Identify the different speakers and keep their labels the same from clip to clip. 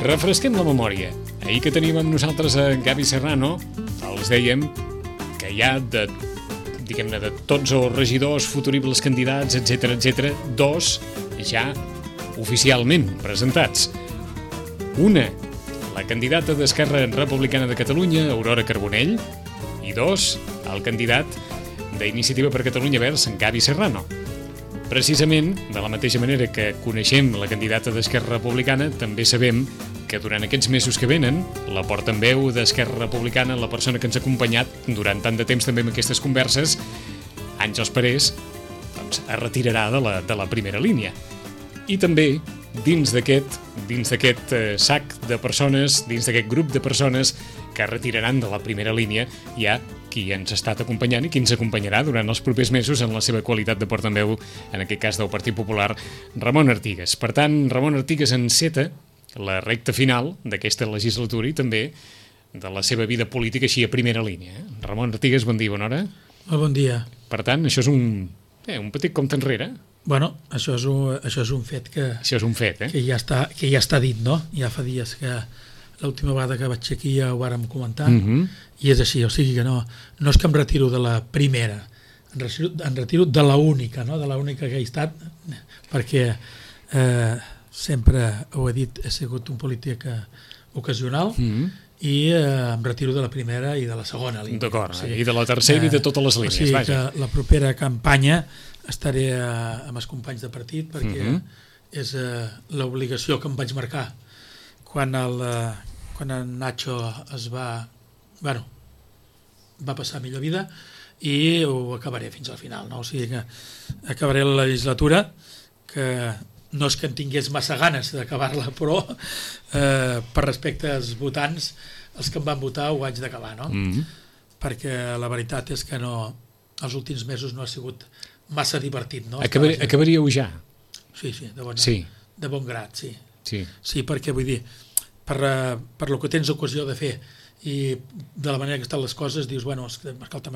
Speaker 1: Refresquem la memòria. Ahir que teníem amb nosaltres a Gavi Serrano, els dèiem que hi ha de tots els regidors, futuribles candidats, etc, 2 ja oficialment presentats. Una, la candidata d'Esquerra Republicana de Catalunya, Aurora Carbonell, i 2, el candidat d'Iniciativa per Catalunya Verds, Gavi Serrano. Precisament, de la mateixa manera que coneixem la candidata d'Esquerra Republicana, també sabem que durant aquests mesos que venen, la portaveu d'Esquerra Republicana, la persona que ens ha acompanyat durant tant de temps també en aquestes converses, Àngels Parés, doncs, es retirarà de la primera línia. I també, dins d'aquest sac de persones, dins d'aquest grup de persones que es retiraran de la primera línia, hi ha qui ens ha estat acompanyant i qui ens acompanyarà durant els propers mesos en la seva qualitat de portaveu, en aquest cas del Partit Popular, Ramon Artigas. Per tant, Ramon Artigas enceta la recta final d'aquesta legislatura i també de la seva vida política així a primera línia. Ramon Artigas, bon dia, bona hora.
Speaker 2: Bon dia.
Speaker 1: Per tant, això és un petit compte enrere.
Speaker 2: Bueno, això és un fet que...
Speaker 1: Això és un fet,
Speaker 2: que ja està dit, no? Ja fa dies que l'última vegada que vaig aquí ja ho vàrem comentar, i és així, o sigui que no és que em retiro de la primera, em retiro de la única, no? De la única que he estat, perquè sempre ho he dit, he sigut un polític ocasional, i em retiro de la primera i de la segona línia.
Speaker 1: D'acord, i de la tercera i de totes les línies.
Speaker 2: O sigui que la propera campanya estaré amb els companys de partit, perquè és l'obligació que em vaig marcar quan en Nacho va passar a millor vida, i ho acabaré fins al final, no? O sigui que acabaré la legislatura, que no és que en tingués massa ganes d'acabar-la, però per respecte als votants, els que em van votar ho haig d'acabar, no? Perquè la veritat és que els últims mesos no ha sigut massa divertit, no?
Speaker 1: Acabaríeu ja?
Speaker 2: Sí, de bon grat, sí. Sí, perquè vull dir, per lo que tens ocasió de fer i de la manera que estan les coses, dius, bueno, escolta'm,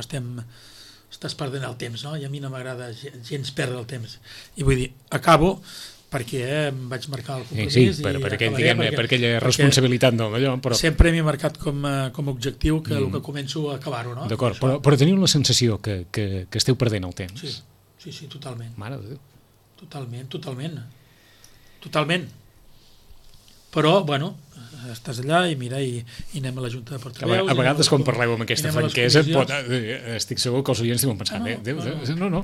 Speaker 2: estàs perdent el temps, no? I a mi no m'agrada gens perdre el temps. I vull dir, acabo perquè em vaig marcar el compromís.
Speaker 1: Sí, per aquella responsabilitat d'allò. Però...
Speaker 2: Sempre m'he marcat com a objectiu que el que començo a acabar-ho, no?
Speaker 1: D'acord, però teniu la sensació que esteu perdent el temps?
Speaker 2: Sí, totalment.
Speaker 1: Mare de Déu.
Speaker 2: Totalment. Però, bueno, estàs allà i mira, i anem a la Junta de Portaveus.
Speaker 1: A vegades, quan parleu amb aquesta franquesa, estic segur que els oients diuen pensant, no,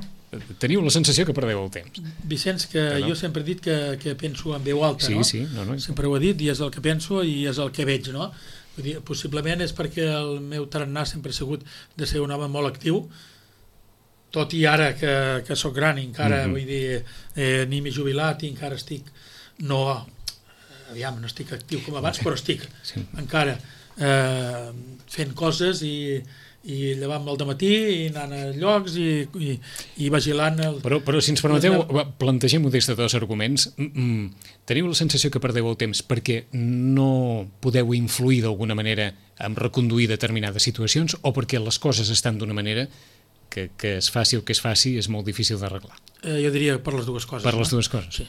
Speaker 1: teniu la sensació que perdeu el temps.
Speaker 2: Vicenç, que jo sempre he dit que penso en veu alta, no?
Speaker 1: Sí,
Speaker 2: sempre ho he dit, i és el que penso i és el que veig, no? Vull dir, possiblement és perquè el meu tarannà sempre ha sigut de ser un home molt actiu, tot i ara que sóc gran i encara, vull dir, ni m'he jubilat i encara estic, no estic actiu com abans, però estic encara fent coses i llevant-me al dematí i anant a llocs i vigilant...
Speaker 1: Però si ens permeteu, plantegem-ho des de dos arguments. Teniu la sensació que perdeu el temps perquè no podeu influir d'alguna manera en reconduir determinades situacions o perquè les coses estan d'una manera que es faci el que es faci és molt difícil d'arreglar?
Speaker 2: Jo diria per les dues coses.
Speaker 1: Per les dues coses.
Speaker 2: Sí.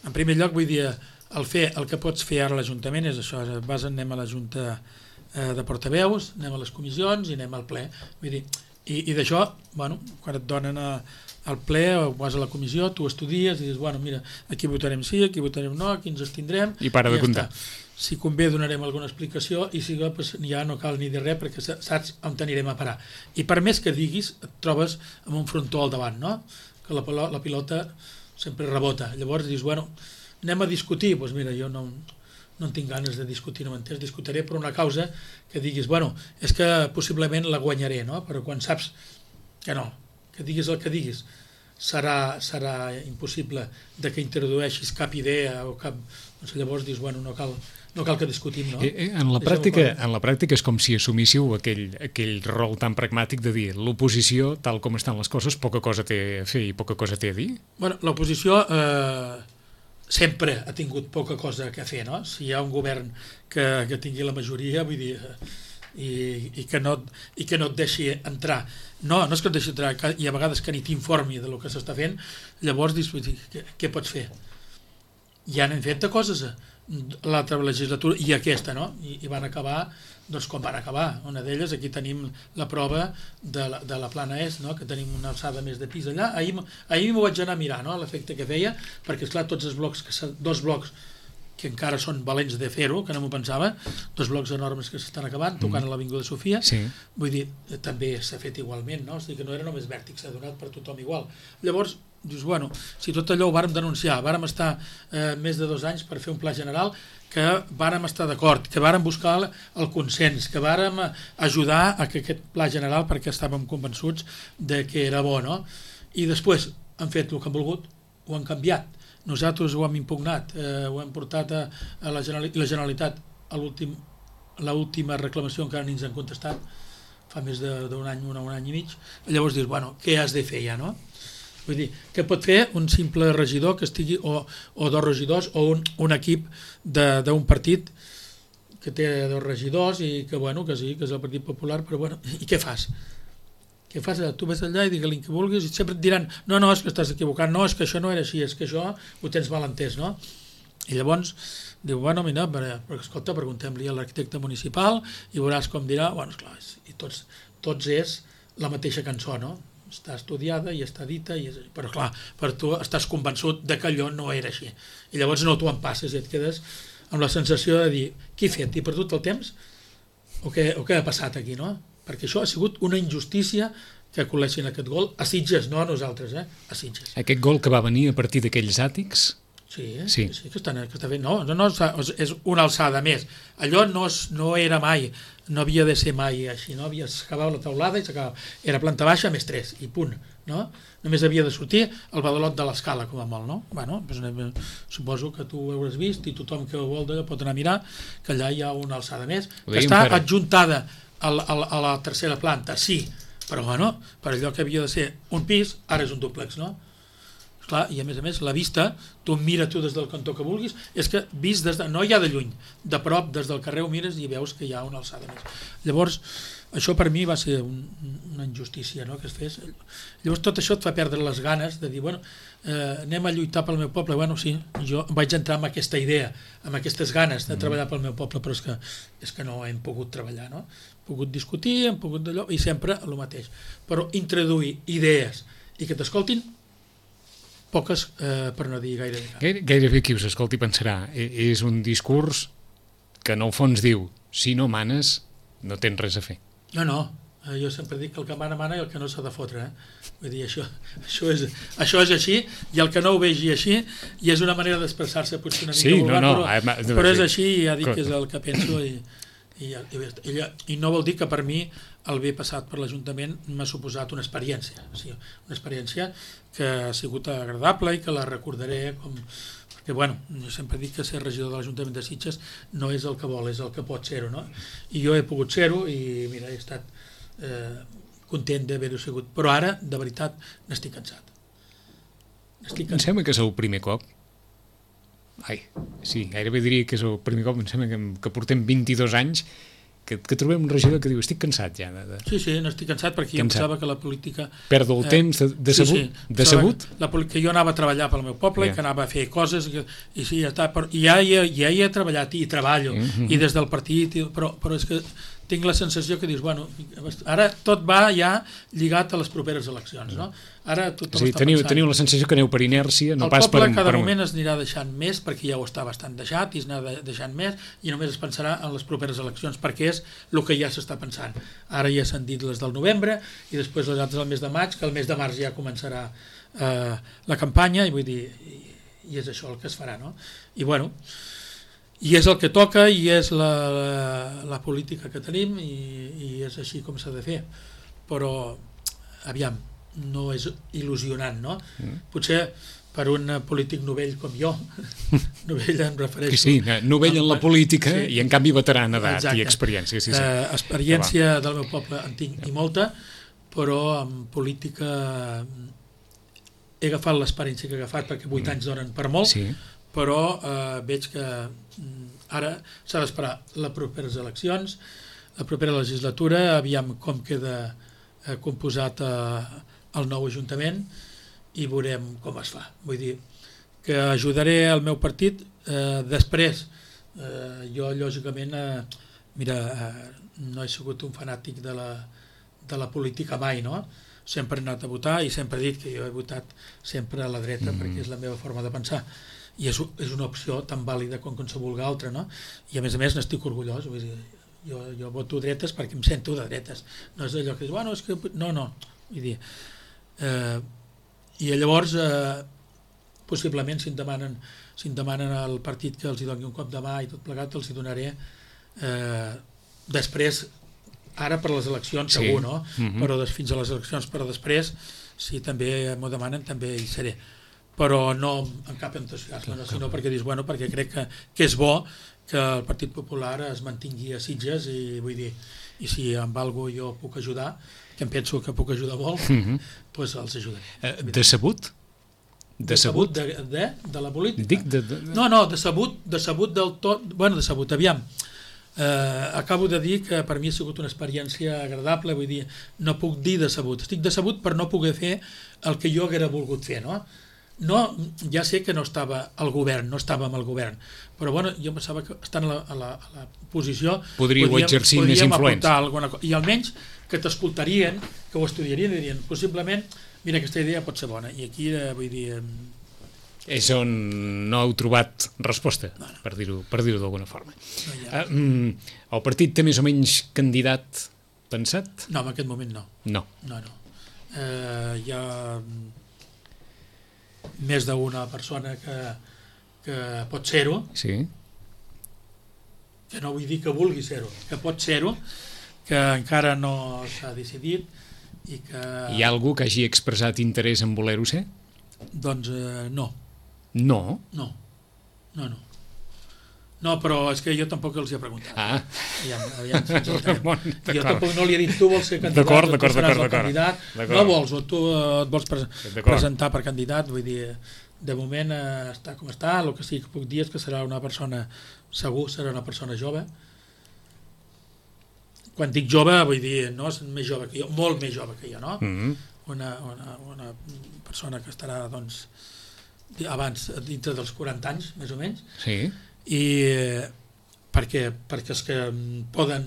Speaker 2: En primer lloc, vull dir, el que pots fer ara a l'Ajuntament és això, anem a la Junta de Portaveus, anem a les comissions i anem al ple. Vull dir, i d'això, bueno, quan et donen al ple o vas a la comissió, tu estudies i dius, bueno, mira, aquí votarem sí, aquí votarem no, aquí ens abstindrem...
Speaker 1: I para de comptar.
Speaker 2: Si convé donarem alguna explicació i si no, pues, ja no cal ni dir res perquè saps on t'anirem a parar. I per més que diguis, et trobes amb un frontó al davant, no? Que la pilota sempre rebota. Llavors dius, bueno, anem a discutir, doncs mira, jo no en tinc ganes de discutir, no m'entens, discutiré per una causa que diguis, bueno, és que possiblement la guanyaré, no? Però quan saps que no, que diguis el que diguis, serà impossible de que introdueixis cap idea o cap... Doncs llavors dius, bueno, no cal que discutim, no?
Speaker 1: En la pràctica és com si assumíssiu aquell rol tan pragmàtic de dir l'oposició, tal com estan les coses, poca cosa té a fer i poca cosa té a dir?
Speaker 2: Bueno, l'oposició sempre ha tingut poca cosa a fer, no? Si hi ha un govern que tingui la majoria, vull dir, i que no et deixi entrar, no és que et deixi entrar, i a vegades que ni t'informi del que s'està fent, llavors dius, què pots fer? ja n'hem fet de coses l'altra legislatura i aquesta, no? I van acabar doncs com van acabar. Una d'elles, aquí tenim la prova de la plana est, no? Que tenim una alçada més de pis allà. Ahir m'ho vaig anar a mirar, no? L'efecte que feia, perquè esclar, tots els blocs, dos blocs que encara són valents de fer-ho, que no m'ho pensava, dos blocs enormes que s'estan acabant, tocant a l'Avinguda Sofia,
Speaker 1: sí.
Speaker 2: Vull dir, també s'ha fet igualment, no? És a dir, que no era només Vèrtic, s'ha donat per tothom igual. Llavors, dius, bueno, si tot allò ho vàrem denunciar, vàrem estar més de 2 anys per fer un pla general, que vàrem estar d'acord, que vàrem buscar el consens, que vàrem ajudar a que aquest pla general, perquè estàvem convençuts de que era bo, no? I després han fet el que han volgut, ho han canviat. Nosaltres ho hem impugnat, ho hem portat a la Generalitat a l'última reclamació, encara ni ens han contestat, fa més d'un any, un any i mig. Llavors dius, bueno, què has de fer ja, no? Vull dir, què pot fer un simple regidor que estigui, o 2 regidors, o un equip d'un partit que té 2 regidors i que, bueno, que sí, que és el Partit Popular, però bueno, i què fas? Què fas? Tu ves allà i digue-li que vulguis i sempre et diran, no, és que estàs equivocant, no, és que això no era així, és que això ho tens mal entès, no? I llavors diu, bueno, mira, però escolta, preguntem-li a l'arquitecte municipal i veuràs com dirà, bueno, esclar, i tots és la mateixa cançó, no? Està estudiada i està dita, però clar, per tu estàs convençut de que allò no era així. I llavors no t'ho empasses i et quedes amb la sensació de dir, què he fet? He perdut el temps? O què ha passat aquí, no? Perquè això ha sigut una injustícia que col·leixin aquest gol a Sitges, no a nosaltres, a Sitges.
Speaker 1: Aquest gol que va venir a partir d'aquells àtics?
Speaker 2: Sí, que està fent. No, és una alçada més. Allò no era mai, no havia de ser mai així, no? S'acabava la teulada i s'acabava. Era planta baixa més 3 i punt, no? Només havia de sortir el badalot de l'escala, com a molt, no? Bueno, doncs, suposo que tu ho hauràs vist i tothom que ho vol d'allò pot anar a mirar que allà hi ha una alçada més, que està adjuntada a la tercera planta, sí, però bueno, per allò que havia de ser un pis, ara és un dúplex, no? Clar, i a més, la vista, tu mira tu des del cantó que vulguis, és que vist no hi ha de lluny, de prop, des del carrer ho mires i veus que hi ha una alçada més. Llavors, això per mi va ser una injustícia, no?, que es fes. Llavors tot això et fa perdre les ganes de dir, bueno, anem a lluitar pel meu poble. Bueno, sí, jo vaig entrar amb aquesta idea, amb aquestes ganes de treballar pel meu poble, però és que no hem pogut treballar, no? Hem pogut discutir, hem pogut d'allò, i sempre el mateix. Però introduir idees i que t'escoltin, poques, per no dir gairebé.
Speaker 1: Gairebé qui us escolti pensarà, és un discurs que en el fons diu, si no manes, no tens res a fer.
Speaker 2: No, jo sempre dic que el que mana i el que no s'ha de fotre. Vull dir, això és així, i el que no ho vegi així, i és una manera d'expressar-se potser una mica vulgar, però és així, i ja dic que és el que penso, i no vol dir que per mi el bé passat per l'Ajuntament m'ha suposat una experiència, una experiència que ha sigut agradable i que la recordaré com... Perquè, bueno, jo sempre dic que ser regidor de l'Ajuntament de Sitges no és el que vol, és el que pot ser-ho, no? I jo he pogut ser-ho i, mira, he estat content d'haver-ho sigut. Però ara, de veritat, n'estic cansat.
Speaker 1: Em sembla que és el primer cop. Sí, gairebé diria que és el primer cop, em sembla que portem 22 anys que trobem un regidor que diu, estic cansat ja.
Speaker 2: Sí, n'estic cansat perquè jo pensava que la política...
Speaker 1: Perdo el temps decebut?
Speaker 2: Que jo anava a treballar pel meu poble i que anava a fer coses i sí, ja hi he treballat i treballo, i des del partit, però és que tinc la sensació que dius, bueno, ara tot va ja lligat a les properes eleccions, no? Ara tothom està pensant...
Speaker 1: Teniu la sensació que aneu per inèrcia, no pas per...
Speaker 2: El poble cada moment es anirà deixant més, perquè ja ho està bastant deixat, i es anirà deixant més, i només es pensarà en les properes eleccions, perquè és el que ja s'està pensant. Ara ja s'han dit les del novembre, i després les altres al mes de maig, que el mes de març ja començarà la campanya, i vull dir, i és això el que es farà, no? I bueno... I és el que toca i és la política que tenim i és així com s'ha de fer. Però, aviam, no és il·lusionant, no? Potser per un polític novell com jo, novell em refereixo...
Speaker 1: Sí, novell en la política i en canvi veterà en edat i experiència.
Speaker 2: Experiència del meu poble en tinc i molta, però en política he agafat l'experiència que he agafat perquè 8 anys donen per molt, però veig que ara s'ha d'esperar les properes eleccions, la propera legislatura, aviam com queda composat el nou Ajuntament i veurem com es fa. Vull dir que ajudaré el meu partit. Després, jo lògicament, no he sigut un fanàtic de la política mai, no? Sempre he anat a votar i sempre he dit que jo he votat sempre a la dreta perquè és la meva forma de pensar i és una opció tan vàlida com qualsevol altra, no? I a més n'estic orgullós, vull dir, jo voto dretes perquè em sento de dretes, no és allò que dius, bueno, és que... No, vull dir, i llavors possiblement si em demanen al partit que els hi doni un cop de mà i tot plegat els hi donaré després, ara per les eleccions segur, no? Però fins a les eleccions, però després si també m'ho demanen també hi seré, però no amb cap entusiasme, sinó perquè dius, bueno, perquè crec que és bo que el Partit Popular es mantingui a Sitges i vull dir, i si amb alguna cosa jo puc ajudar, que em penso que puc ajudar molt, doncs els ajudaré.
Speaker 1: Decebut? Decebut?
Speaker 2: De la política?
Speaker 1: Dic
Speaker 2: No, decebut del tot, bueno, decebut, aviam. Acabo de dir que per mi ha sigut una experiència agradable, vull dir, no puc dir decebut, estic decebut per no poder fer el que jo haguera volgut fer, no? Ja sé que no estava al govern, no estàvem al govern, però bueno, jo pensava que estant a la posició
Speaker 1: podríeu exercir més influència
Speaker 2: i almenys que t'escoltarien, que ho estudiarien i dirien, possiblement, mira, aquesta idea pot ser bona, i aquí vull dir...
Speaker 1: És on no heu trobat resposta, per dir-ho d'alguna forma. El partit té més o menys candidat pensat?
Speaker 2: No, en aquest moment no.
Speaker 1: No.
Speaker 2: Hi ha més d'una persona que pot ser-ho, que no vull dir que vulgui ser-ho, que pot ser-ho, que encara no s'ha decidit i que...
Speaker 1: Hi ha algú que hagi expressat interès en voler-ho ser?
Speaker 2: Doncs no.
Speaker 1: No?
Speaker 2: No, però és que jo tampoc els hi he preguntat.
Speaker 1: Aviam,
Speaker 2: jo tampoc no li he dit tu vols ser candidat o tu seràs el candidat. No vols, o tu et vols presentar per candidat, vull dir, de moment està com està, el que sí que puc dir és que serà una persona, segur serà una persona jove. Quan dic jove vull dir, no és més jove que jo, molt més jove que jo, no? Una persona que estarà, doncs, abans dintre dels 40 anys, més o menys, i perquè els que poden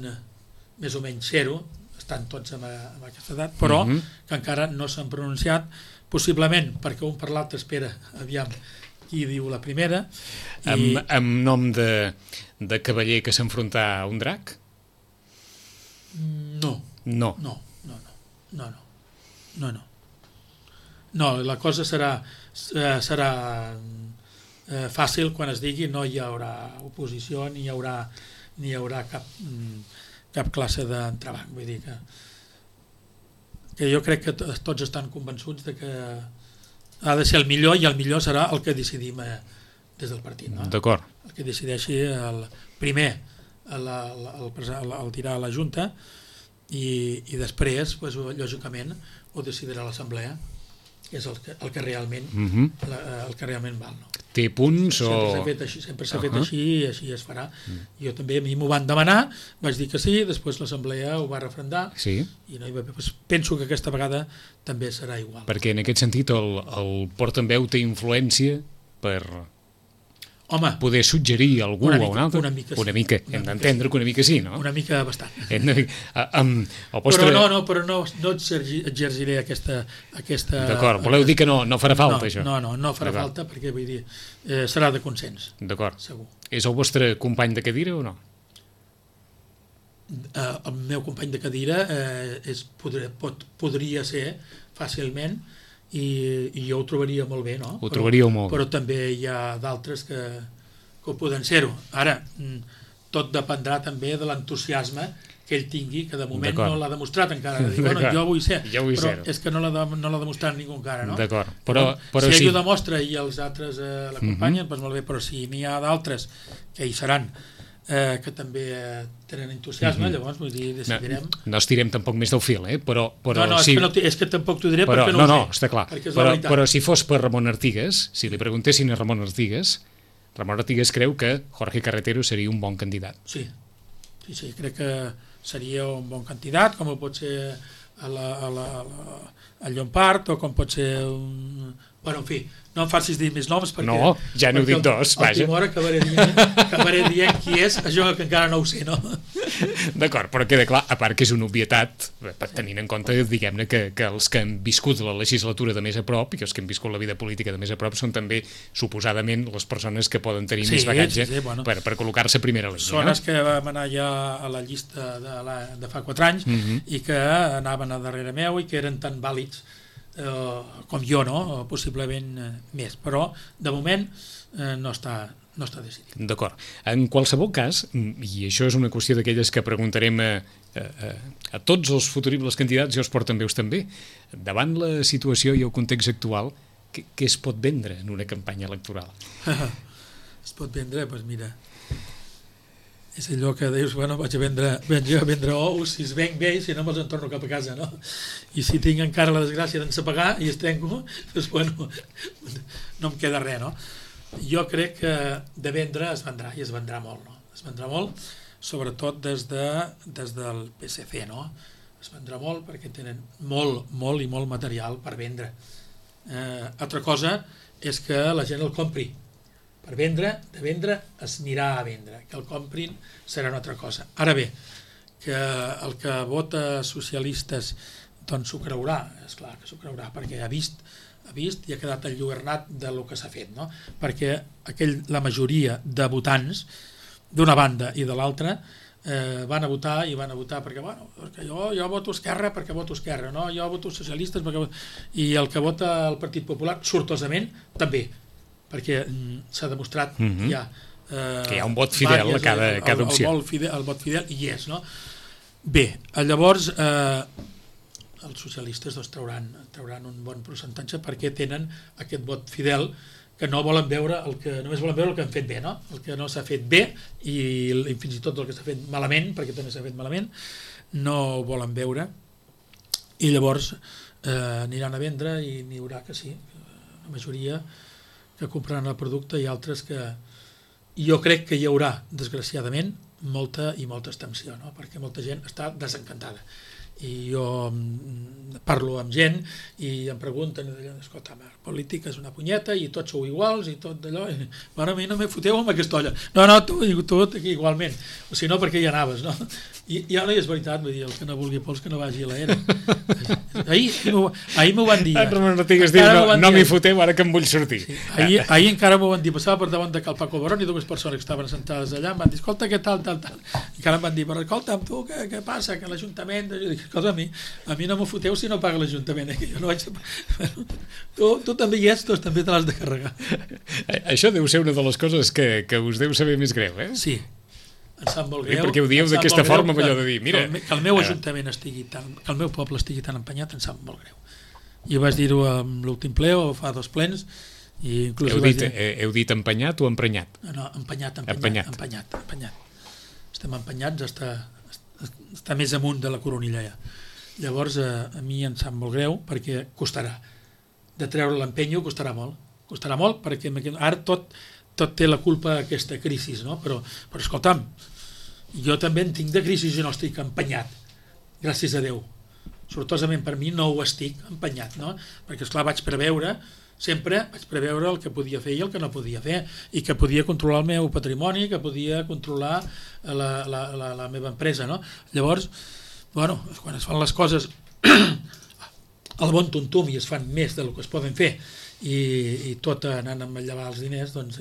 Speaker 2: més o menys ser-ho estan tots en aquesta edat, però que encara no s'han pronunciat, possiblement perquè un per l'altre espera aviam qui diu la primera.
Speaker 1: Amb nom de cavaller que s'enfronta a un drac?
Speaker 2: No, la cosa serà fàcil quan es digui no hi haurà oposició ni hi haurà cap classe d'entrebanc, vull dir que jo crec que tots estan convençuts de que ha de ser el millor i el millor serà el que decidim des del partit, no?
Speaker 1: D'acord.
Speaker 2: El que decideixi el primer el tirar a la Junta i després, lògicament, ho decidirà l'Assemblea, que és el que realment val, no?
Speaker 1: Té punts o...
Speaker 2: Sempre s'ha fet així i així es farà. Jo també, a mi m'ho van demanar, vaig dir que sí, després l'Assemblea ho va refrendar i no hi va haver. Penso que aquesta vegada també serà igual.
Speaker 1: Perquè en aquest sentit el portaveu té influència per... poder suggerir algú o un altre? Una mica, hem d'entendre que una mica sí, no?
Speaker 2: Una mica bastant. Però no exerciré aquesta...
Speaker 1: D'acord, voleu dir que no farà falta, això?
Speaker 2: No farà falta perquè, vull dir, serà de consens.
Speaker 1: D'acord.
Speaker 2: Segur.
Speaker 1: És el vostre company de cadira o no?
Speaker 2: El meu company de cadira podria ser fàcilment i jo ho trobaria molt bé, no?
Speaker 1: Ho trobaríeu molt bé.
Speaker 2: Però també hi ha d'altres que ho poden ser-ho. Ara, tot dependrà també de l'entusiasme que ell tingui, que de moment no l'ha demostrat encara. Jo vull ser, però és que no l'ha demostrat ningú encara, no?
Speaker 1: D'acord.
Speaker 2: Si ell ho demostra i els altres l'acompanyen, doncs molt bé, però si n'hi ha d'altres que hi seran que també tenen entusiasme, llavors vull dir, decidirem...
Speaker 1: No estirem tampoc més del fil, però
Speaker 2: és que tampoc t'ho diré perquè no ho sé.
Speaker 1: No, està clar, però si fos per Ramon Artigas, si li preguntessin a Ramon Artigas creu que Jorge Carretero seria un bon candidat.
Speaker 2: Sí, crec que seria un bon candidat, com pot ser el Llompart o com pot ser Bueno, en fi, no em facis dir més noms perquè...
Speaker 1: No, ja n'heu dit dos, vaja.
Speaker 2: El Timor acabaré dient qui és, això que encara no ho sé, no?
Speaker 1: D'acord, però queda clar, a part que és una obvietat, tenint en compte, diguem-ne, que els que han viscut la legislatura de més a prop i que els que han viscut la vida política de més a prop són també, suposadament, les persones que poden tenir més bagatge per col·locar-se a primera línia.
Speaker 2: Persones que vam anar ja a la llista de fa 4 anys i que anaven a darrere meu i que eren tan vàlids com jo, no? Possiblement més, però de moment no està decidit.
Speaker 1: D'acord. En qualsevol cas, i això és una qüestió d'aquelles que preguntarem a tots els futuribles candidats i els portaveus també, davant la situació i el context actual, què es pot vendre en una campanya electoral?
Speaker 2: Es pot vendre, doncs mira, és allò que dius, bueno, vaig a vendre ous, si es venc bé i si no me'ls en torno cap a casa, no? I si tinc encara la desgràcia d'ensapegar i es trenco, doncs bueno, no em queda res, no? Jo crec que de vendre es vendrà, i es vendrà molt, no? Es vendrà molt, sobretot des del PSC, no? Es vendrà molt perquè tenen molt i molt material per vendre. Altra cosa és que la gent el compri. Per vendre, de vendre, es anirà a vendre. Que el comprin serà una altra cosa. Ara bé, que el que vota socialistes doncs s'ho creurà, esclar que s'ho creurà, perquè ha vist i ha quedat enlluernat del que s'ha fet, no? Perquè la majoria de votants, d'una banda i de l'altra, van a votar perquè, bueno, perquè jo voto Esquerra perquè voto Esquerra, no? Jo voto socialistes perquè... I el que vota el Partit Popular, sortosament, també, perquè s'ha demostrat que hi ha
Speaker 1: un vot fidel a cada opció.
Speaker 2: El vot fidel hi és, no? Bé, llavors els socialistes doncs, trauran un bon percentatge perquè tenen aquest vot fidel que no volen veure només volen veure el que han fet bé, no? El que no s'ha fet bé i fins i tot el que s'ha fet malament, perquè també s'ha fet malament, no ho volen veure i llavors aniran a vendre i n'hi haurà que sí, la majoria que compraran el producte i altres que jo crec que hi haurà, desgraciadament, molta abstenció, no? Perquè molta gent està desencantada. I jo parlo amb gent i em pregunten, escolta, la política és una punyeta i tots sou iguals i tot allò, i a mi no me foteu amb aquesta olla. No, tu igualment, o si no, perquè hi anaves, no? I ja no és veritat, vull dir, el que no vulgui pols que no vagi a l'era. Ahir m'ho van dir.
Speaker 1: No tingues dit, no m'hi foteu ara que em vull sortir.
Speaker 2: Sí, ahir encara m'ho van dir, passava per davant de Cal Paco Barón i dues persones que estaven sentades allà em van dir, escolta, què tal. I encara em van dir, però escolta, tu, què passa, que l'Ajuntament... Jo dic, escolta, a mi no m'ho foteu si no paga l'Ajuntament, jo no vaig... Tu també hi ets, doncs també te l'has de carregar.
Speaker 1: Això deu ser una de les coses que us deu saber més greu, eh?
Speaker 2: Sí. Em sap molt greu.
Speaker 1: Perquè ho dieu d'aquesta forma, allò de dir, mira...
Speaker 2: Que el meu ajuntament que el meu poble estigui tan empenyat, em sap molt greu. I vaig dir-ho en l'últim ple o fa 2 plens i inclús
Speaker 1: heu dit empenyat o emprenyat?
Speaker 2: No, empenyat. Estem empenyats està més amunt de la coronilla ja. Llavors a mi em sap molt greu perquè costarà. De treure l'empenyo costarà molt perquè ara tot té la culpa aquesta crisi, no? Però escolta'm, jo també en tinc de crisi i no estic empenyat, gràcies a Déu. Sortosament per mi no ho estic empenyat, no? Perquè esclar vaig preveure el que podia fer i el que no podia fer i que podia controlar el meu patrimoni, que podia controlar la meva empresa, no? Llavors, bueno, quan es fan les coses al bon tuntum i es fan més del que es poden fer i tot anant a manllevar els diners, doncs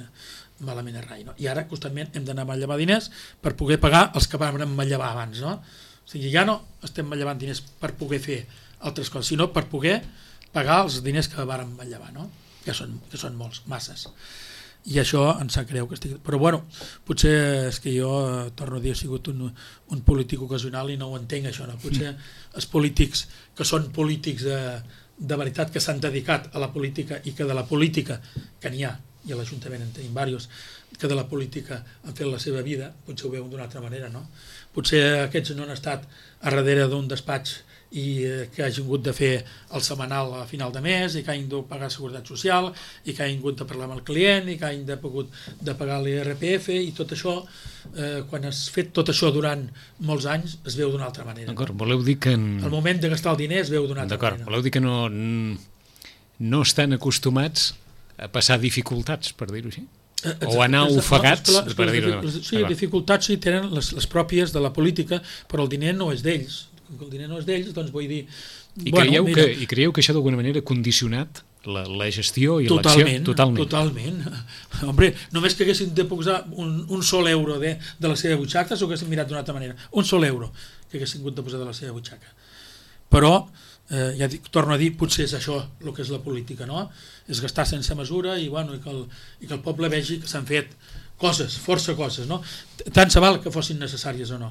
Speaker 2: malament és rai, no? I ara constantment hem d'anar a manllevar diners per poder pagar els que vam manllevar abans, no? O sigui, ja no estem manllevant diners per poder fer altres coses, sinó per poder pagar els diners que vàrem manllevar, no? Que són molts, masses. I això em sap greu que estigui... Però bueno, potser és que jo, torno a dir, he sigut un polític ocasional i no ho entenc, això, no? Potser els polítics que són polítics de veritat, que s'han dedicat a la política i que de la política, que n'hi ha, i a l'Ajuntament en tenim diversos, que de la política han fet la seva vida, potser ho veuen d'una altra manera, no? Potser aquests no han estat a darrere d'un despatx i que hagin hagut de fer el setmanal a final de mes i que hagin de pagar seguretat social i que hagin hagut de parlar amb el client i que hagin de pagar l'IRPF i tot això, quan has fet tot això durant molts anys es veu d'una altra manera.
Speaker 1: D'acord, voleu dir que...
Speaker 2: El moment de gastar el diner es veu d'una altra manera.
Speaker 1: Voleu dir que no estan acostumats a passar dificultats, per dir-ho així. O anar ofegats, per dir-ho d'una manera.
Speaker 2: Sí, dificultats sí tenen les pròpies de la política, però el diner no és d'ells. Com que el diner no és d'ells, doncs vull dir...
Speaker 1: I creieu que això d'alguna manera ha condicionat la gestió i l'acció?
Speaker 2: Totalment. Hombre, només que haguessin de posar un sol euro de la seva butxaca s'ho haguessin mirat d'una altra manera. Un sol euro que haguessin hagut de posar de la seva butxaca. Però, ja torno a dir, potser és això el que és la política, no? És gastar sense mesura i que el poble vegi que s'han fet coses, força coses, no? Tant se val que fossin necessàries o no,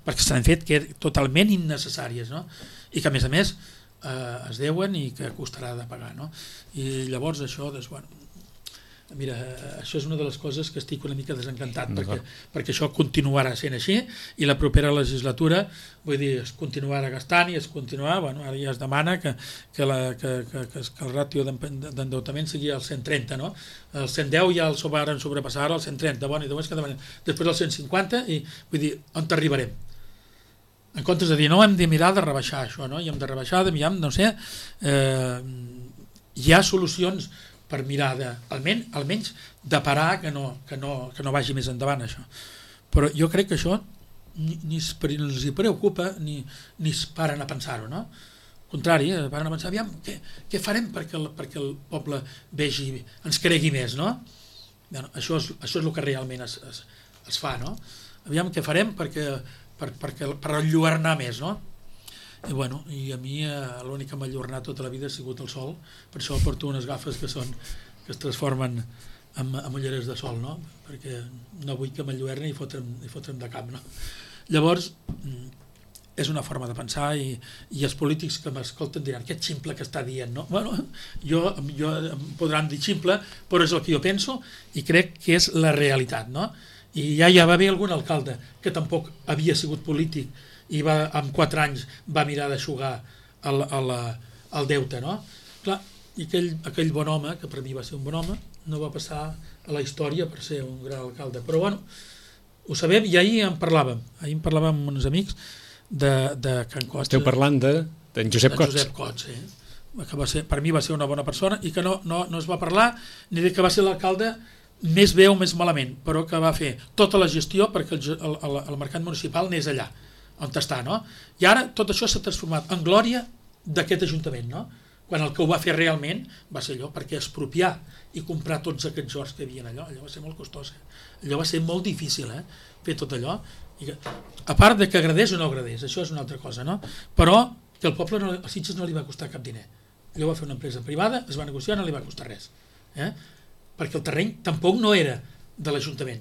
Speaker 2: perquè s'han fet totalment innecessàries, no? I que a més es deuen i que costarà de pagar, no? I llavors això, doncs, bueno, mira, això és una de les coses que estic una mica desencantat perquè això continuarà sent així i la propera legislatura, vull dir, es continuarà gastant i es continuarà, bueno, ara ja es demana que el ràtio d'endeutament sigui el 130, no? El 110 ja el varen sobrepassar, el 130, bueno, i després el 150 i vull dir, on arribarem? En comptes de dir, no, hem de mirar de rebaixar això, no? I hem de rebaixar, no sé, hi ha solucions per mirar almenys de parar que no vagi més endavant això. Però jo crec que això ni els preocupa ni es paren a pensar-ho, no? Al contrari, paren a pensar, aviam, què farem perquè el poble vegi, ens cregui més, no? Bueno, això és el que realment es fa, no? Aviam què farem per enlluernar més, no? I bueno, i a mi l'únic que m'ha enlluernat tota la vida ha sigut el sol, per això porto unes gafes que es transformen en ulleres de sol, no? Perquè no vull que m'enlluerni i fotre'm de cap, no? Llavors, és una forma de pensar i els polítics que m'escolten diran, que ximple que està dient, no? Bueno, jo em podran dir ximple, però és el que jo penso i crec que és la realitat, no? I ja va haver algun alcalde que tampoc havia sigut polític i en 4 anys va mirar d'aixugar el deute, no? Clar, i aquell bon home, que per mi va ser un bon home, no va passar a la història per ser un gran alcalde. Però bueno, ho sabem i ahir en parlàvem amb uns amics de Can Cots.
Speaker 1: Esteu parlant d'en Josep Cots.
Speaker 2: Josep Cots, que per mi va ser una bona persona i que no es va parlar ni de que va ser l'alcalde més bé o més malament, però que va fer tota la gestió perquè el mercat municipal anés allà on està, no? I ara tot això s'ha transformat en glòria d'aquest ajuntament, no? Quan el que ho va fer realment va ser allò, perquè expropiar i comprar tots aquests horts que hi havia allò va ser molt costós, allò va ser molt difícil, fer tot allò, i a part de que agradés o no agradés, això és una altra cosa, no? Però que el poble, a Sitges no li va costar cap diner, allò va fer una empresa privada, es va negociar, no li va costar res, perquè el terreny tampoc no era de l'Ajuntament,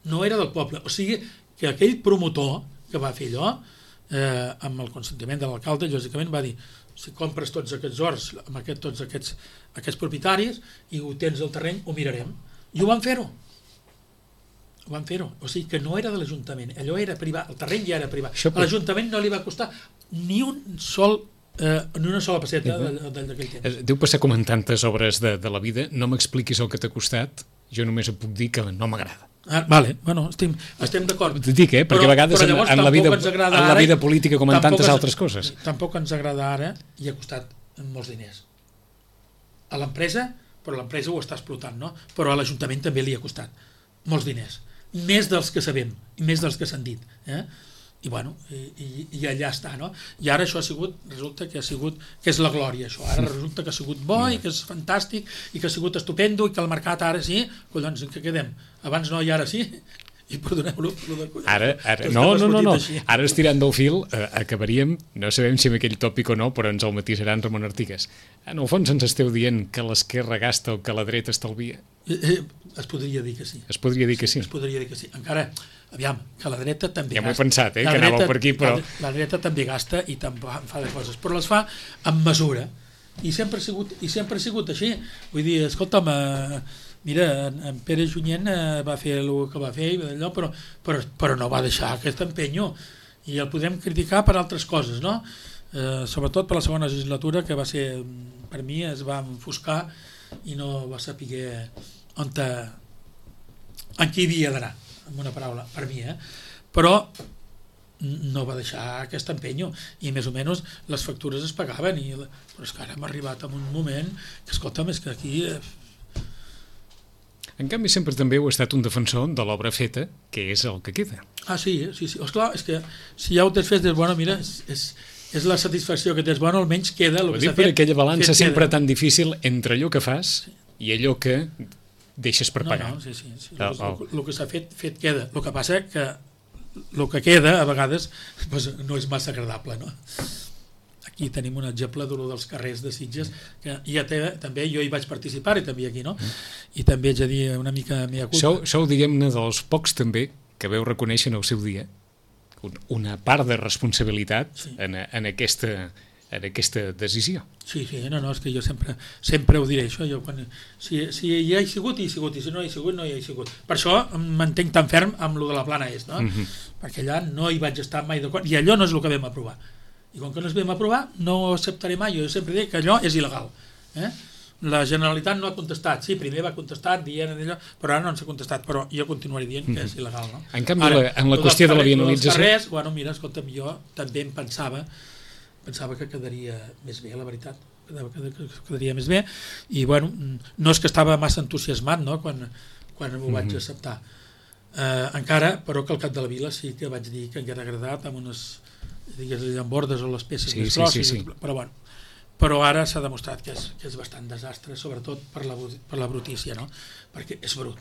Speaker 2: no era del poble, o sigui que aquell promotor que va fer allò, amb el consentiment de l'alcalde, lògicament va dir, si compres tots aquests horts amb tots aquests propietaris i ho tens al terreny, ho mirarem. I ho van fer-ho. O sigui que no era de l'Ajuntament, allò era privat, el terreny ja era privat. A l'Ajuntament no li va costar ni una sola passeta d'aquell temps.
Speaker 1: Deu passar com en tantes obres de la vida, no m'expliquis el que t'ha costat, jo només et puc dir que no m'agrada.
Speaker 2: Vale, bueno, estem d'acord.
Speaker 1: Dic, perquè a vegades en la vida política com en tantes altres coses.
Speaker 2: Tampoc ens agrada ara i ha costat molts diners. A l'empresa, però l'empresa ho està explotant, no? Però a l'Ajuntament també li ha costat molts diners. Més dels que sabem, i més dels que s'han dit. I bueno, i allà està, no? I ara això resulta que és la glòria, això. Ara resulta que ha sigut bo i que és fantàstic i que ha sigut estupendo i que el mercat ara sí, collons, en què quedem? Abans no i ara sí? I perdoneu-lo de collons.
Speaker 1: Ara, no, ara estirant del fil acabaríem, no sabem si amb aquell tòpic o no, però ens el matisaran Ramon Artigas. En el fons ens esteu dient que l'esquerra gasta el que la dreta estalvia?
Speaker 2: Es podria dir que sí.
Speaker 1: Es podria dir que sí?
Speaker 2: Es podria dir que sí. Encara, aviam, que la dreta també
Speaker 1: gasta. Ja m'ho he pensat, que anàveu per aquí, però...
Speaker 2: La dreta també gasta i fa de coses, però les fa amb mesura. I sempre ha sigut així. Vull dir, escolta'm, mira, en Pere Junyent va fer el que va fer, però no va deixar aquest empenyo. I el podem criticar per altres coses, no? Sobretot per la segona legislatura, que va ser, per mi, es va enfoscar i no va saber en qui havia d'anar, amb una paraula, per mi, però no va deixar aquest empenyo, i més o menys les factures es pagaven, però és que ara hem arribat a un moment que, escolta'm, és que aquí...
Speaker 1: En canvi, sempre també heu estat un defensor de l'obra feta, que és el que queda.
Speaker 2: Ah, sí. Esclar, és que si ja ho tens fet, bueno, mira, és la satisfacció que tens, bueno, almenys queda el que s'ha fet.
Speaker 1: Per aquella balança sempre tan difícil entre allò que fas i allò que deixes per pagar.
Speaker 2: No, sí. El que s'ha fet queda. El que passa que el que queda, a vegades, doncs, no és massa agradable, no? Aquí tenim un exemple dels carrers de Sitges, que ja també jo hi vaig participar, i també aquí, no? I també haig de dir una mica mea culpa.
Speaker 1: Sou, diguem-ne, dels pocs també que veu reconèixer en el seu dia una part de responsabilitat en aquesta decisió.
Speaker 2: Sí, no, és que jo sempre ho diré, això. Si hi ha sigut, hi ha sigut, i si no hi ha sigut, no hi ha sigut. Per això m'entenc tan ferm amb lo de la plana est, no? Perquè allà no hi vaig estar mai d'acord, i allò no és el que vam aprovar. I com que no es vam aprovar, no ho acceptaré mai. Jo sempre dic que allò és il·legal. La Generalitat no ha contestat. Sí, primer va contestar dient allò, però ara no ens ha contestat, però jo continuaré dient que és il·legal, no?
Speaker 1: En canvi, en la qüestió de la vianalització...
Speaker 2: Els carrers, bueno, mira, escolta'm, jo també em pensava que quedaria més bé, la veritat, quedaria més bé, i bueno, no és que estava massa entusiasmat, no?, quan ho vaig acceptar. Encara, però que al cap de la vila sí que vaig dir que em hauria agradat amb unes, digues, llambordes o les peces més grosses, però bueno, però ara s'ha demostrat que és bastant desastre, sobretot per la brutícia, no? Perquè és brut,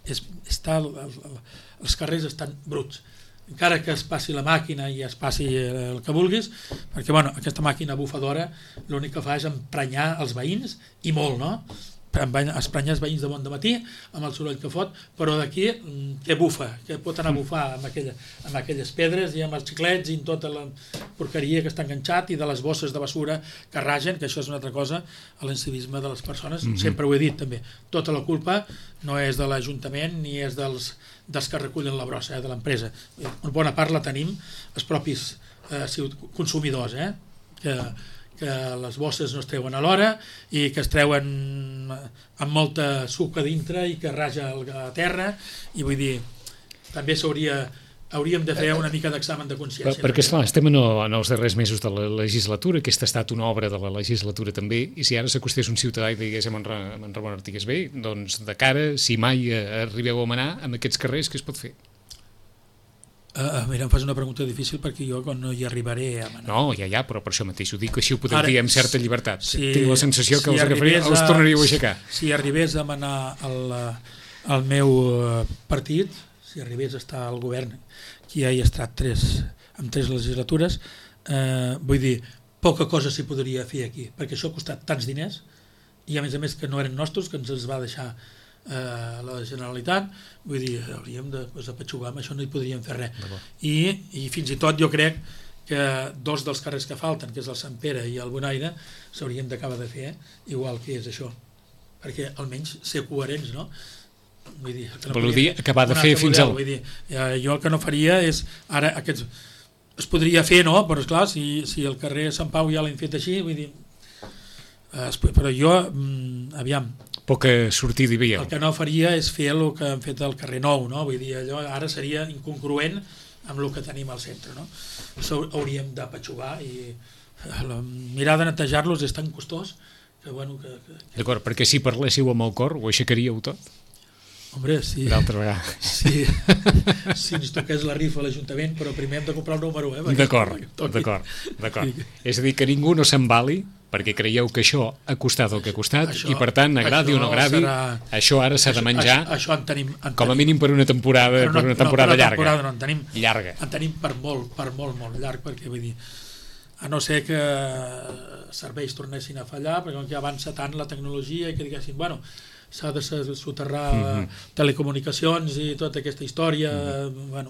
Speaker 2: els carrers estan bruts, encara que es passi la màquina i es passi el que vulguis, perquè bueno, aquesta màquina bufadora l'únic que fa és emprenyar els veïns, i molt, no? Esprenyar els veïns de bon dematí amb el soroll que fot, però d'aquí que bufa, que pot anar a bufar amb aquelles pedres i amb els xiclets i amb tota la porqueria que està enganxat, i de les bosses de basura que ragen, que això és una altra cosa, l'incivisme de les persones. Sempre ho he dit també, tota la culpa no és de l'Ajuntament ni és dels que recullen la brossa, de l'empresa. Una bona part la tenim els propis consumidors, que les bosses no es treuen a l'hora i que es treuen amb molta suc a dintre i que raja a terra, i vull dir, també hauríem de fer una mica d'examen de consciència.
Speaker 1: Perquè esclar, estem en els darrers mesos de la legislatura, aquesta ha estat una obra de la legislatura també, i si ara s'acostés un ciutadà i digués en Ramon Artigas, bé, doncs de cara, si mai arribeu a manar amb aquests carrers, què es pot fer?
Speaker 2: Mira, em fas una pregunta difícil perquè jo no hi arribaré a manar.
Speaker 1: No, ja, però per això mateix ho dic, així ho podem dir amb certa llibertat. Tinc la sensació que els tornaríeu a aixecar.
Speaker 2: Si arribés a manar el meu partit, si arribés a estar al govern, que ja hi ha estat amb 3 legislatures, vull dir, poca cosa s'hi podria fer aquí, perquè això ha costat tants diners, i a més que no eren nostres, que ens els va deixar la Generalitat, vull dir, hauríem de apatxugar, amb això no hi podríem fer res. I fins i tot jo crec que 2 dels carrers que falten, que és el Sant Pere i el Bonaire, s'haurien d'acabar de fer igual que és això, perquè almenys ser coherents, no? Vull dir,
Speaker 1: vol dir acabar de fer fins al...
Speaker 2: Vull dir, jo el que no faria és, ara aquests es podria fer, no? Però esclar, si el carrer Sant Pau ja l'hem fet així, vull dir, però jo, aviam,
Speaker 1: poca sortida hi veieu.
Speaker 2: El que no faria és fer el que han fet al carrer Nou, no? Vull dir, allò ara seria incongruent amb el que tenim al centre, no? Això hauríem d'apatxugar, i mirar de netejar-los és tan costós que, bueno...
Speaker 1: D'acord, perquè si parléssiu amb el cor, ho aixecaríeu tot?
Speaker 2: Hombre, sí.
Speaker 1: D'altra vegada.
Speaker 2: Sí. Si ens toqués la rifa a l'Ajuntament, però primer hem de comprar el número,
Speaker 1: D'acord. És a dir, que ningú no s'embali, perquè creieu que això ha costat el que ha costat, i per tant, agradi o no agradi, això ara s'ha de menjar, com a mínim per una temporada llarga. Llarga.
Speaker 2: En tenim per molt llarg, perquè vull dir, a no ser que serveis tornessin a fallar, perquè ja avança tant la tecnologia i que diguessin, bueno, s'ha de soterrar telecomunicacions i tota aquesta història, bueno,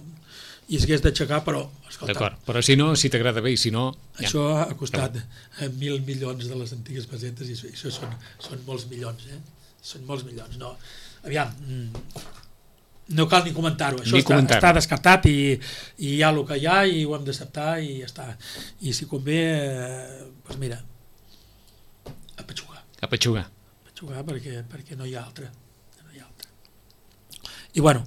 Speaker 2: i s'hagués d'aixecar, però escolta...
Speaker 1: D'acord, però si no, si t'agrada bé, i si no...
Speaker 2: Això ha costat 1.000 milions de les antigues pessetes, i això són molts milions, són molts milions, no? Aviam, no cal ni comentar-ho, això està descartat, i hi ha el que hi ha, i ho hem d'acceptar, i ja està. I si convé, doncs mira, apatxugar, perquè no hi ha altra. I bueno,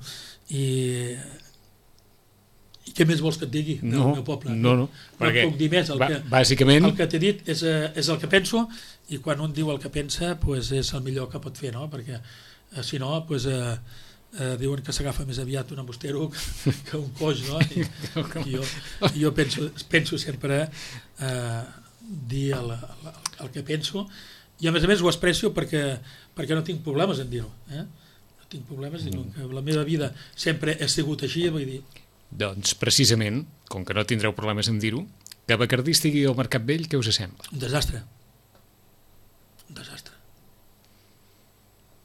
Speaker 2: I què més vols que et digui del meu poble?
Speaker 1: No
Speaker 2: puc dir més.
Speaker 1: Bàsicament...
Speaker 2: El que t'he dit és el que penso, i quan un diu el que pensa és el millor que pot fer, no? Perquè si no, diuen que s'agafa més aviat un embustero que un coix, no? I jo penso sempre dir el que penso, i a més ho expresso perquè no tinc problemes en dir-ho. No tinc problemes, dic que la meva vida sempre ha sigut així, vull dir...
Speaker 1: Doncs precisament, com que no tindreu problemes en dir-ho, que Bacardí estigui al Mercat Vell, què us sembla?
Speaker 2: Un desastre. Un desastre.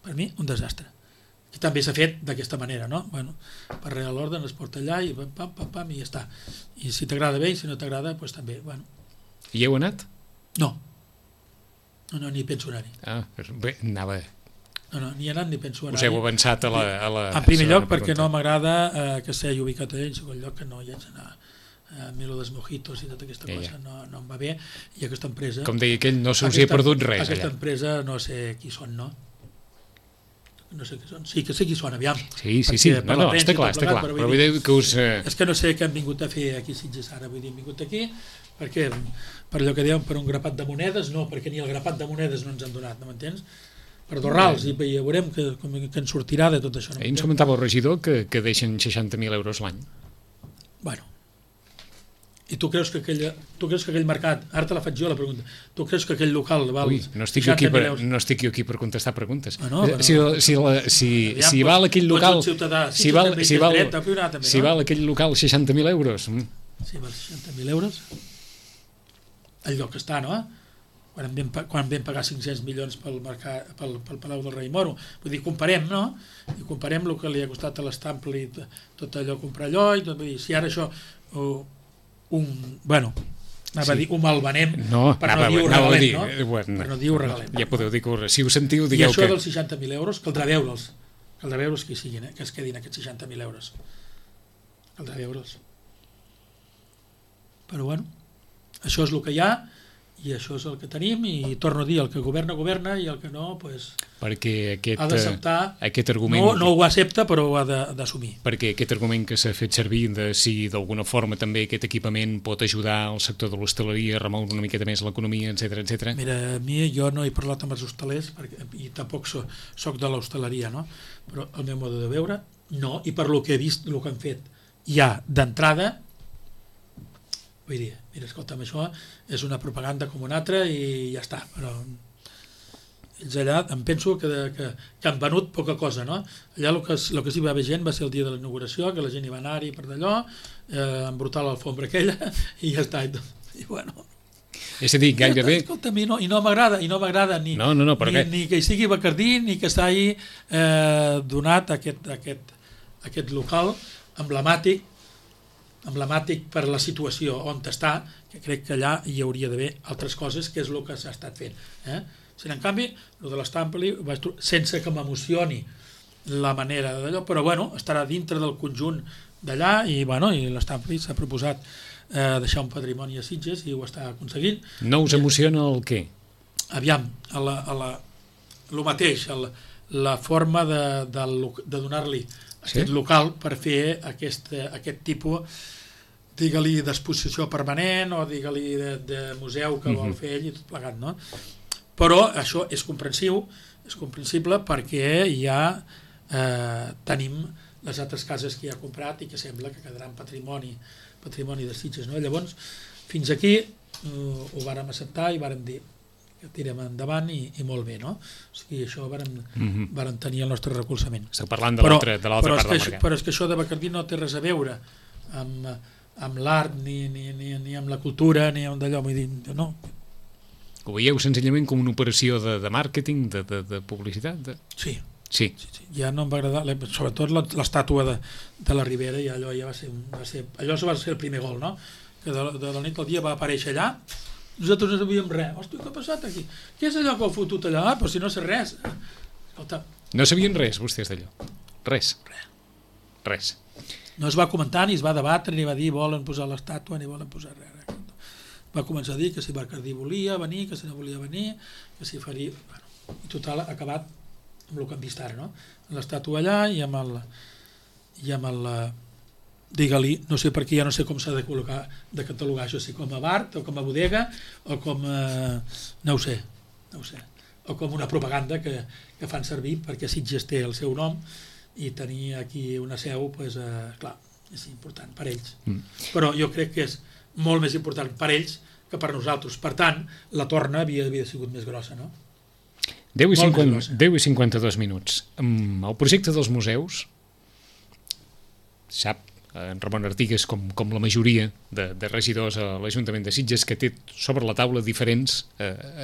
Speaker 2: Per mi, un desastre. I també s'ha fet d'aquesta manera, no? Bueno, per real l'ordre es porta allà i pam, i ja està. I si t'agrada bé, i si no t'agrada, doncs també. Bueno.
Speaker 1: I heu anat?
Speaker 2: No, ni penso anar-hi.
Speaker 1: Bé, anava...
Speaker 2: No, ni he anat ni penso anar-hi.
Speaker 1: Us heu avançat a la...
Speaker 2: En primer lloc, perquè no m'agrada que s'hagi ubicat allà, en segon lloc, que no hi haig d'anar a Milo dels Mojitos i tota aquesta cosa, no em va bé, i aquesta empresa...
Speaker 1: Com deia aquell, no se us hi ha perdut res, allà.
Speaker 2: Aquesta empresa no sé qui són, no? No sé qui són. Sí, que sé qui són, aviam.
Speaker 1: Sí, no, està clar. Però vull dir que us...
Speaker 2: És que no sé què han vingut a fer aquí a Sitges ara, vull dir, han vingut aquí, perquè, per allò que dèiem, per un grapat de monedes, no, perquè ni el grapat de monedes no ens han donat, no m'entens? Per dorrals, i ja veurem que en sortirà de tot això.
Speaker 1: Ahir ens comentava el regidor que deixen 60.000 euros l'any.
Speaker 2: Bueno, i tu creus que aquell mercat, ara te la faig jo la pregunta, tu creus que aquell local val 60.000 euros?
Speaker 1: No estic jo aquí per contestar preguntes.
Speaker 2: Si
Speaker 1: val aquell local...
Speaker 2: Si
Speaker 1: val aquell local 60.000 euros...
Speaker 2: Si val 60.000 euros, el lloc està, no? Quan vam pagar 500 milions pel Palau del Rei Moro. Vull dir, comparem, no? I comparem el que li ha costat a l'Estample i tot allò, comprar allò, i tot, vull dir, si ara això anava a dir, ho malvenem per no dir ho regalem, no? Per no dir ho regalem.
Speaker 1: Ja podeu dir que si ho sentiu, digueu que...
Speaker 2: I això dels 60.000 euros, caldrà veure'ls que hi siguin, que es quedin aquests 60.000 euros. Caldrà veure'ls. Però bueno, això és el que hi ha, i això és el que tenim, i torno a dir, el que governa i el que no, doncs, ha d'acceptar.
Speaker 1: Aquest argument...
Speaker 2: No ho accepta, però ho ha d'assumir.
Speaker 1: Perquè aquest argument que s'ha fet servir de si d'alguna forma també aquest equipament pot ajudar al sector de l'hostaleria a remoure una miqueta més l'economia, etc.
Speaker 2: Mira, a mi jo no he parlat amb els hostalers, i tampoc soc de l'hostaleria, no? Però el meu mode de veure, no, i per lo que he vist, el que han fet ja d'entrada, vull dir, mira, escolta'm, això és una propaganda com una altra i ja està, però ells allà em penso que han venut poca cosa, no? Allà el que sí va haver gent va ser el dia de la inauguració, que la gent hi va anar-hi per d'allò, embrutar l'alfombra aquella i ja està, i bueno...
Speaker 1: És a dir, gairebé...
Speaker 2: Escolta'm, i no m'agrada ni que hi sigui Bacardí ni que s'hagi donat aquest local emblemàtic per la situació on està, que crec que allà hi hauria d'haver altres coses, que és el que s'ha estat fent. Si en canvi, el de l'Estampli, sense que m'emocioni la manera d'allò, però bueno, estarà dintre del conjunt d'allà i l'Estampli s'ha proposat deixar un patrimoni a Sitges i ho està aconseguint.
Speaker 1: No us emociona el què?
Speaker 2: Aviam, el mateix, la forma de donar-li aquest local per fer aquest tipus, digue-li d'exposició permanent o digue-li de museu que vol fer ell i tot plegat, no? Però això és comprensible perquè ja tenim les altres cases que ja ha comprat i que sembla que quedaran patrimoni de Sitges, no? Llavors, fins aquí ho vàrem acceptar i vàrem dir que tirem endavant i molt bé, no? O sigui, això vàrem tenir el nostre recolzament.
Speaker 1: Esteu parlant de l'altra part del mercat.
Speaker 2: Però és que això de Bacardí no té res a veure amb l'art, ni amb la cultura, ni amb d'allò, vull dir, no.
Speaker 1: Ho veieu senzillament com una operació de màrqueting, de publicitat?
Speaker 2: Sí.
Speaker 1: Ja
Speaker 2: no em va agradar, sobretot l'estàtua de la Ribera, i allò ja va ser el primer gol, no? Que de la nit al dia va aparèixer allà, nosaltres no sabíem res. Hòstia, què ha passat aquí? Què és allò que heu fotut allà? Però si no sé res. Escolta.
Speaker 1: No sabien res, vostès, d'allò? Res.
Speaker 2: No es va comentar, ni es va debatre, ni va dir volen posar l'estàtua, ni volen posar res. Va començar a dir que si Bacardí volia venir, que si no volia venir, que si faria... Bueno, i total, ha acabat amb el que hem vist ara, no? L'estàtua allà i amb digue-li, no sé per què, ja no sé com s'ha de catalogar això, si com a bar o com a bodega o com a... no ho sé, o com una propaganda que fan servir perquè Sitges té el seu nom i tenir aquí una seu, doncs, clar, és important per ells. Però jo crec que és molt més important per ells que per nosaltres. Per tant, la torna havia sigut més grossa, no?
Speaker 1: 10 i 52 minuts. El projecte dels museus, sap en Ramon Artigas, com la majoria de regidors a l'Ajuntament de Sitges, que té sobre la taula diferents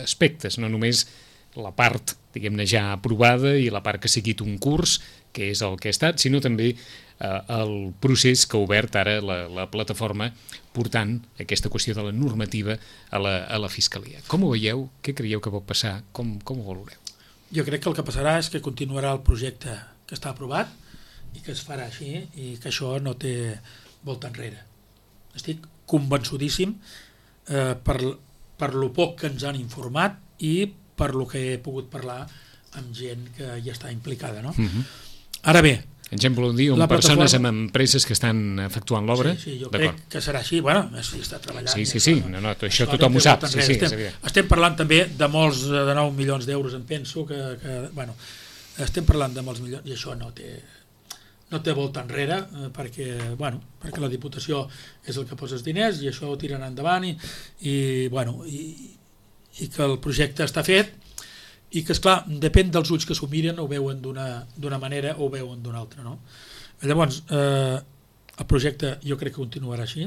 Speaker 1: aspectes, no només la part, diguem-ne, ja aprovada i la part que ha seguit un curs, que és el que ha estat, sinó també el procés que ha obert ara la plataforma portant aquesta qüestió de la normativa a la Fiscalia. Com ho veieu? Què creieu que pot passar? Com ho valoreu?
Speaker 2: Jo crec que el que passarà és que continuarà el projecte que està aprovat i que es farà així i que això no té volta enrere. Estic convençudíssim per lo poc que ens han informat i per lo que he pogut parlar amb gent que ja està implicada, no? Ara bé,
Speaker 1: ens voleu dir persones amb empreses que estan efectuant l'obra?
Speaker 2: Sí, jo crec que serà així. Bueno, si està treballant...
Speaker 1: Sí, no, això tothom ho sap.
Speaker 2: Estem parlant també de molts, de 9 milions d'euros, em penso, bueno, estem parlant de molts milions, i això no té volta enrere, perquè la Diputació és el que posa els diners i això ho tiren endavant i que el projecte està fet i que, esclar, depèn dels ulls que s'ho miren, ho veuen d'una manera o ho veuen d'una altra, no? Llavors, el projecte jo crec que continuarà així,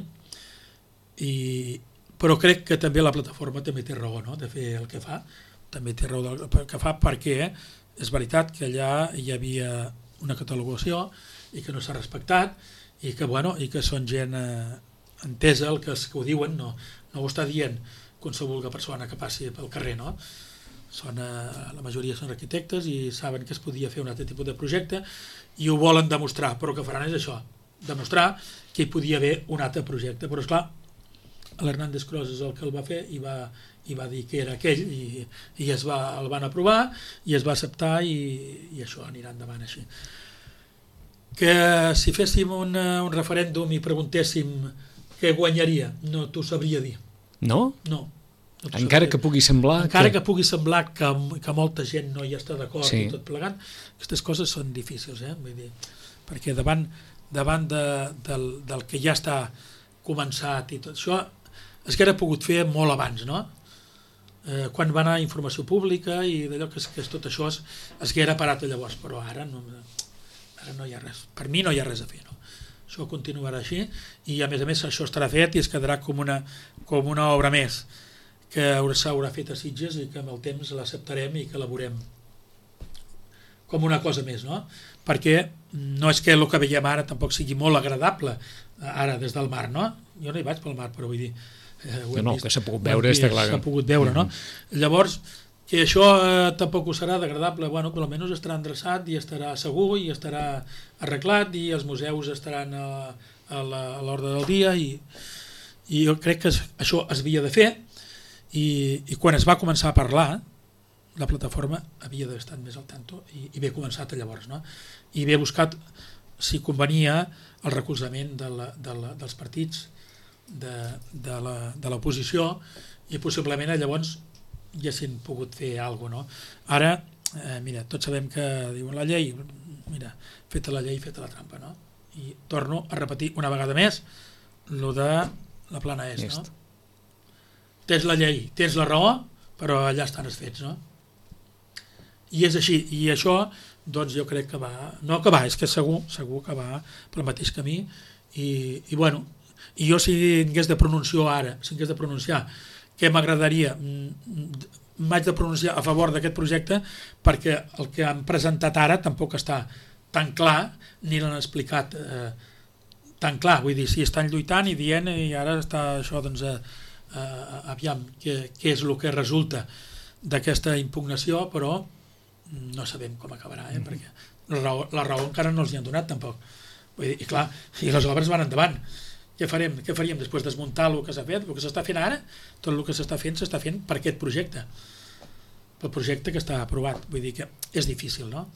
Speaker 2: però crec que també la plataforma també té raó, no?, de fer el que fa, també té raó del que fa, perquè és veritat que allà hi havia una catalogació i que no s'ha respectat i que són gent entesa, el que ho diuen, no ho està dient qualsevol persona que passi pel carrer, no? La majoria són arquitectes i saben que es podia fer un altre tipus de projecte i ho volen demostrar, però el que faran és això, demostrar que hi podia haver un altre projecte, però esclar, l'Hernández Cros és el que el va fer i va dir que era aquell i el van aprovar i es va acceptar i això anirà endavant així. Que si féssim un referèndum i preguntéssim què guanyaria, no t'ho sabria dir.
Speaker 1: No?
Speaker 2: No.
Speaker 1: Encara que pugui semblar...
Speaker 2: que molta gent no hi està d'acord i tot plegant, aquestes coses són difícils, vull dir, perquè davant del que ja està començat i tot això, es hauria pogut fer molt abans, no? Quan va anar a informació pública i d'allò que és tot això es hauria parat llavors, però ara no hi ha res, per mi no hi ha res a fer, no? Això continuarà així i a més això estarà fet i es quedarà com una obra més que s'haurà fet a Sitges i que amb el temps l'acceptarem i que la veurem com una cosa més, no? Perquè no és que el que veiem ara tampoc sigui molt agradable ara des del mar, no? Jo no hi vaig pel mar, però vull dir...
Speaker 1: que s'ha pogut veure, està clar.
Speaker 2: S'ha pogut veure, no? Llavors, que això tampoc ho serà d'agradable, bueno, per almenys estarà endreçat i estarà segur i estarà arreglat i els museus estaran a l'ordre del dia i jo crec que això es havia de fer i quan es va començar a parlar la plataforma havia d'haver estat més al tanto i haver començat llavors, no? I haver buscat si convenia el recolzament dels partits de l'oposició i possiblement llavors ja s'han pogut fer alguna cosa, no? Ara, mira, tots sabem que diuen la llei, mira, feta la llei, feta la trampa, no? I torno a repetir una vegada més lo de la plana est, no? Tens la llei, tens la raó, però allà estan els fets, no? I és així, i això, doncs jo crec que va, no que va, és que segur que va pel mateix camí, i bueno, i jo si hagués de pronunciar què m'agradaria, m'haig de pronunciar a favor d'aquest projecte perquè el que han presentat ara tampoc està tan clar, ni l'han explicat tan clar, vull dir, si estan lluitant i dient i ara està això, doncs, aviam què és el que resulta d'aquesta impugnació, però no sabem com acabarà, perquè la raó encara no els hi han donat tampoc. Vull dir, i clar, i les obres van endavant. Què faríem després de desmuntar el que s'ha fet? El que s'està fent ara, tot el que s'està fent per aquest projecte, pel projecte que està aprovat. Vull dir que és difícil, no?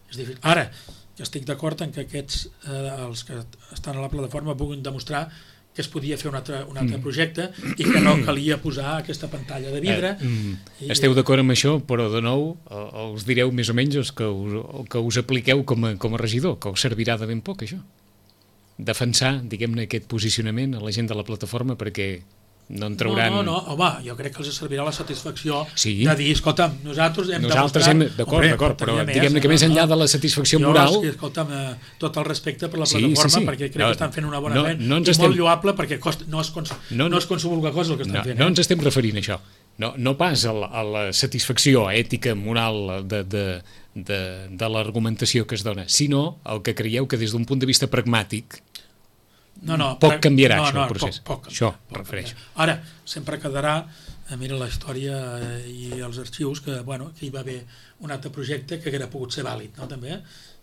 Speaker 2: És difícil. Ara, que estic d'acord en que aquests, els que estan a la plataforma, puguin demostrar que es podia fer un altre projecte i que no calia posar aquesta pantalla de vidre.
Speaker 1: Esteu d'acord amb això, però de nou us direu més o menys que us apliqueu com a regidor, que us servirà de ben poc això. Defensar, diguem-ne, aquest posicionament a la gent de la plataforma perquè no en trauran...
Speaker 2: No, home, jo crec que els servirà la satisfacció
Speaker 1: sí.
Speaker 2: de dir, escolta'm, nosaltres hem
Speaker 1: d'acord, però diguem-ne que més enllà de la satisfacció moral...
Speaker 2: Escolta'm, tot el respecte per la plataforma, perquè crec que estan fent una bona feina, i molt lloable perquè no és qualsevol cosa el que estan fent.
Speaker 1: No ens estem referint a això, no pas a la satisfacció ètica, moral de l'argumentació que es dona, sinó el que creieu que des d'un punt de vista pragmàtic poc canviarà això el procés. Això refereixo.
Speaker 2: Ara, sempre quedarà, mira la història i els arxius, que hi va haver un altre projecte que hauria pogut ser vàlid, no, també,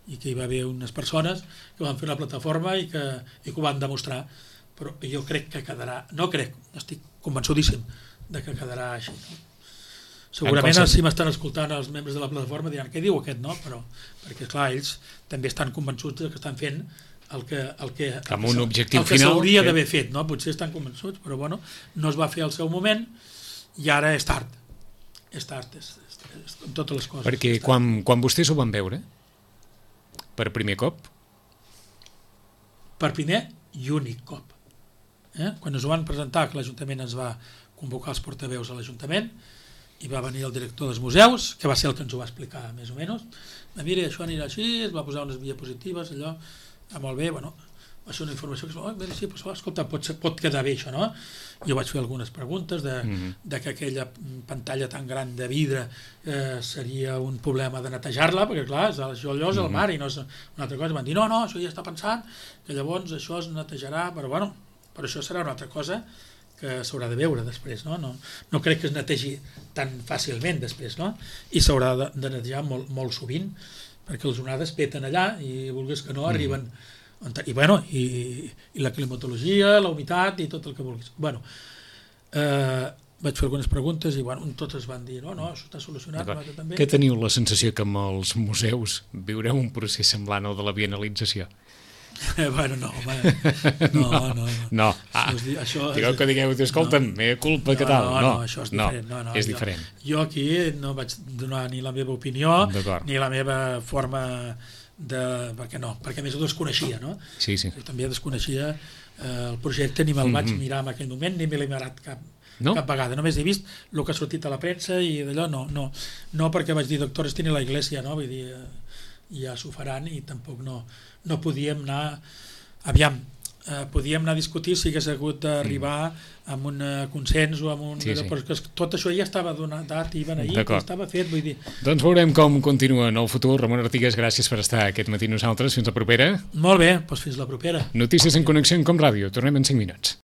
Speaker 2: i que hi va haver unes persones que van fer una plataforma i que ho van demostrar, però jo crec que quedarà, estic convençudíssim de que quedarà així. Segurament si m'estan escoltant els membres de la plataforma diran, què diu aquest, no? Però, perquè esclar, ells també estan convençuts que estan fent el que s'hauria d'haver fet, no? Potser estan convençuts, però no es va fer al seu moment i ara és tard. És tard, com totes les coses.
Speaker 1: Perquè quan vostès ho van veure, per primer cop?
Speaker 2: Per primer i únic cop. Quan ens ho van presentar, que l'Ajuntament ens va convocar els portaveus a l'Ajuntament, i va venir el director dels museus, que va ser el que ens ho va explicar més o menys, mira, això anirà així, es va posar unes diapositives, allò, molt bé, va ser una informació que sí, però escolta, pot quedar bé això, no? Jo vaig fer algunes preguntes de que aquella pantalla tan gran de vidre seria un problema de netejar-la, perquè clar, això allò és el mar i no és una altra cosa. Van dir, no, això ja està pensant, que llavors això es netejarà, però això serà una altra cosa que s'haurà de veure després, no? No crec que es netegi tan fàcilment després, no? I s'haurà de netejar molt sovint, perquè les onades peten allà i vulguis que no arriben i la climatologia, la humitat i tot el que vulguis. Vaig fer algunes preguntes i totes van dir no, això està solucionat.
Speaker 1: Què teniu la sensació que amb els museus viureu un procés semblant al de la bienalització?
Speaker 2: No.
Speaker 1: Digueu que digueu, escolta'm, meva culpa, què tal?
Speaker 2: No, això és diferent.
Speaker 1: És diferent.
Speaker 2: Jo aquí no vaig donar ni la meva opinió, ni la meva forma perquè a més ho desconeixia, no?
Speaker 1: Sí.
Speaker 2: Jo també desconeixia el projecte, ni me'l vaig mirar en aquell moment, ni me l'he mirat cap vegada. Només he vist el que ha sortit a la premsa i d'allò no perquè vaig dir doctores tiene la iglesia, no? Vull dir, ja s'ho faran i tampoc no podíem anar podíem anar a discutir si hagués hagut d'arribar amb un consens o amb un... Però tot això ja estava donat i beneït, estava fet, vull dir...
Speaker 1: Doncs veurem com continua en el futur. Ramon Artigas, gràcies per estar aquest matí nosaltres. Fins la propera.
Speaker 2: Molt bé, doncs fins la propera.
Speaker 1: Notícies en Connexió en Com Ràdio. Tornem en 5 minuts.